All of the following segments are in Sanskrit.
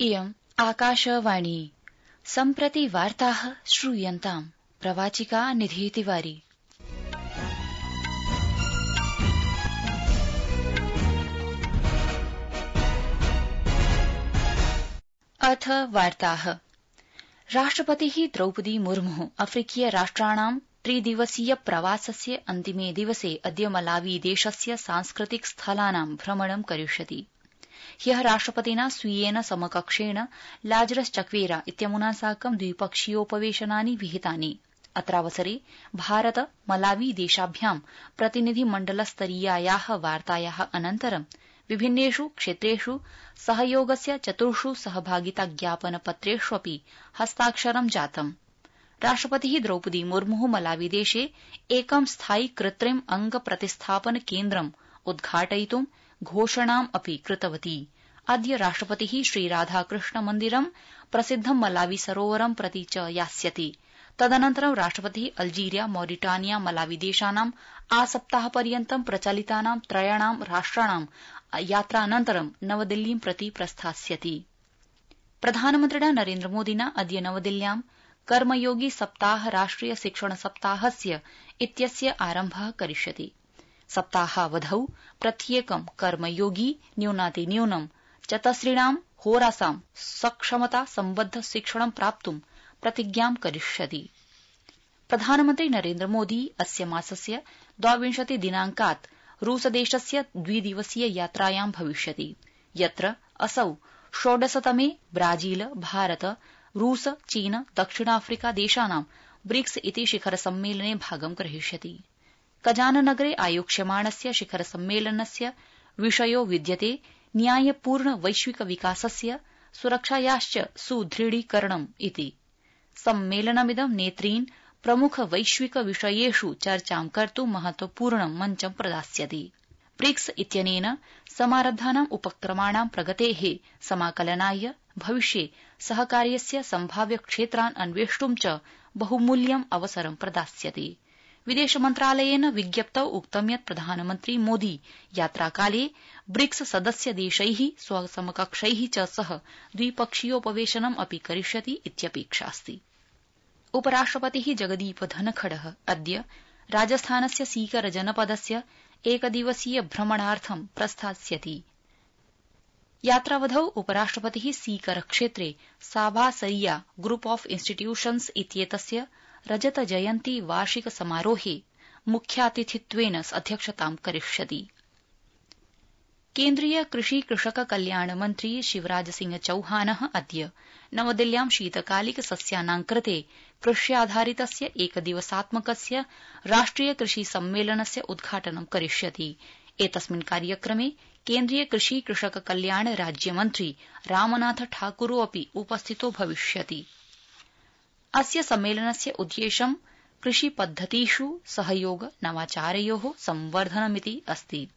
इयम् आकाशवाणी सम्प्रति वार्ताः श्रूयन्ताम् प्रवाचिका निधि तिवारी। अथ वार्ताः। राष्ट्रपतिः द्रौपदी मुर्मु अफ्रीकीय राष्ट्राणां त्रिदिवसीय प्रवासस्य अन्तिमे दिवसे अद्य मलावी देशस्य सांस्कृतिक स्थलानां भ्रमणं करिष्यति। ह्यः राष्ट्रपतिना स्वीयेन समकक्षेण लाजरस चक्वेरा इत्यमुना साकं द्विपक्षीयोपवेशनानि विहितानि। अत्रावसरे भारत मलावी देशाभ्यां प्रतिनिधिमण्डलस्तरीयायाः वार्तायाः अनन्तरं विभिन्नेषु क्षेत्रेषु सहयोगस्य 4 सहभागिताज्ञापनपत्रेष्वपि हस्ताक्षरं जातम्। राष्ट्रपतिः द्रौपदी मुर्मु मलावी देशे एकं स्थायि कृत्रिम अंग प्रतिस्थापन केन्द्रम् उद्घाटयितुं घोषणाम् अपि कृतवती। अद्य राष्ट्रपतिः श्रीराधाकृष्ण मन्दिरं प्रसिद्धं मलावी सरोवरं प्रति च यास्यति। तदनन्तरं राष्ट्रपतिः अल्जीरिया मॉरिटानिया मलावी देशानां आसप्ताहपर्यन्तं प्रचलितानां त्रयाणां राष्ट्राणां यात्रानन्तरं नवदिल्लीं प्रति प्रस्थास्यति। प्रधानमन्त्रिणा नरेन्द्रमोदिना अद्य नवदिल्ल्यां कर्मयोगी सप्ताह राष्ट्रिय शिक्षण सप्ताहस्य इत्यस्य आरम्भः करिष्यति। सप्ताहावधौ प्रत्येकं कर्मयोगी न्यूनातिन्यूनं 4 होरासां सक्षमता सम्बद्ध शिक्षणं प्राप्तुं प्रतिज्ञां करिष्यति। प्रधानमन्त्री नरेन्द्रमोदी अस्य मासस्य 22 दिनांकात् रूसदेशस्य 2 दिवसीय यात्रायां भविष्यति, यत्र असौ 16तमे ब्राजील भारत रूस चीन दक्षिणाफ्रिका देशानां ब्रिक्स इति शिखर सम्मेलने भागं ग्रहीष्यति। कजाननगरे आयोक्ष्यमाणस्य शिखर सम्मेलनस्य विषयो विद्यते न्यायपूर्ण वैश्विक विकासस्य सुरक्षायाश्च सुदृढीकरणम् इति। सम्मेलनमिदं नेतॄन् प्रमुख वैश्विक विषयेषु चर्चां कर्तुं महत्वपूर्णं मञ्चं प्रदास्यति। ब्रिक्स इत्यनेन समारब्धानां उपक्रमाणां प्रगतेः समाकलनाय भविष्ये सहकार्यस्य सम्भाव्य क्षेत्रान् अन्वेष्टुं च बहुमूल्यम् अवसरं प्रदास्यति। विदेशमन्त्रालयेन विज्ञप्तौ उक्तं यत् प्रधानमन्त्री मोदी यात्राकाले ब्रिक्स सदस्य देशैः स्वसमकक्षैः च सह द्विपक्षीयोपवेशनम् अपि करिष्यति इत्यपेक्षास्ति। उपराष्ट्रपतिः जगदीप धनखडः अद्य राजस्थानस्य सीकर जनपदस्य एकदिवसीय भ्रमणार्थं प्रस्थास्यति। यात्रावधौ उपराष्ट्रपतिः सीकर क्षेत्रे साभासरिया ग्रुप ऑफ इंस्टीट्यूशन्स इत्येतस्य रजत जयन्ती वार्षिक समारोहे मुख्यातिथित्वेन अध्यक्षतां करिष्यति। केन्द्रीय कृषि कृषक कल्याण मन्त्री शिवराज सिंह चौहानः अद्य नवदिल्ल्यां शीतकालिक सस्यानां कृते कृष्याधारितस्य एकदिवसात्मकस्य राष्ट्रिय कृषि सम्मेलनस्य उद्घाटनं करिष्यति। एतस्मिन् कार्यक्रमे केन्द्रीय कृषि कृषक कल्याण राज्यमन्त्री रामनाथ ठाकुरो अपि उपस्थितो भविष्यति। अस्य सम्मेलनस्य उद्देश्यं कृषिपद्धतिषु सहयोग नवाचारयोः संवर्धनमिति अस्ति,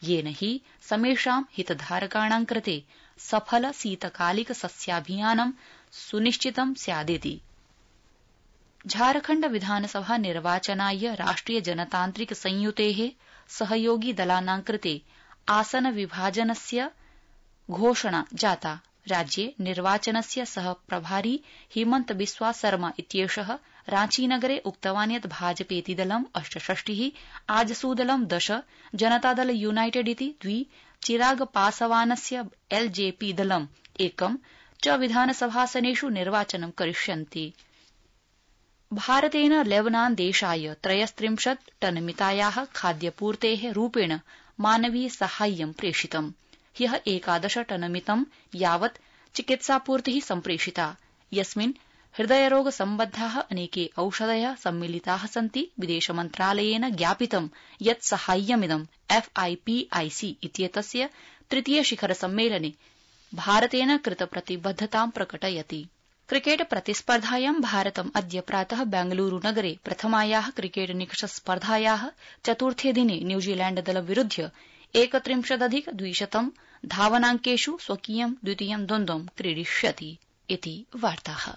येन हि समेषां हितधारकाणां कृते सफल शीतकालिक सस्याभियानं सुनिश्चितं स्यादिति। झारखण्ड विधानसभा निर्वाचनाय राष्ट्रिय जनतान्त्रिक संयुतेः सहयोगी दलानां कृते आसन विभाजनस्य घोषणा जाता। राज्ये निर्वाचनस्य सह प्रभारी हिमन्त बिस्वा शर्मा इत्येषः रांचीनगरे उक्तवान् यत् भाजपेति दलं 68, आजसूदलं 10, जनतादल यूनाइटेड इति 2, चिराग पासवानस्य एलजेपी दलं 1 च विधानसभासनेषु निर्वाचनं करिष्यन्ति। भारतेन लेबनान देशाय 33 टनमितायाः खाद्यपूर्तेः रूपेण मानवीय साहाय्यं प्रेषितम्। ह्यः 11 टनमितं यावत् चिकित्सापूर्तिः सम्प्रेषिता, यस्मिन् हृदयरोग सम्बद्धाः अनेके औषधयः सम्मिलिताः सन्ति। विदेशमन्त्रालयेन ज्ञापितं यत् साहाय्यमिदं FIPIC इत्येतस्य 3 शिखर सम्मेलने भारतेन कृतप्रतिबद्धतां प्रकटयति। क्रिकेट प्रतिस्पर्धायां भारतम् अद्य प्रातः बेंगलुरू नगरे प्रथमायाः क्रिकेट निकष स्पर्धायाः चतुर्थे दिने न्यूजीलैण्ड दलविरुध्य 31+200 धावनाङ्केषु स्वकीयं द्वितीयं द्वन्द्वं क्रीडिष्यति इति वार्ताः।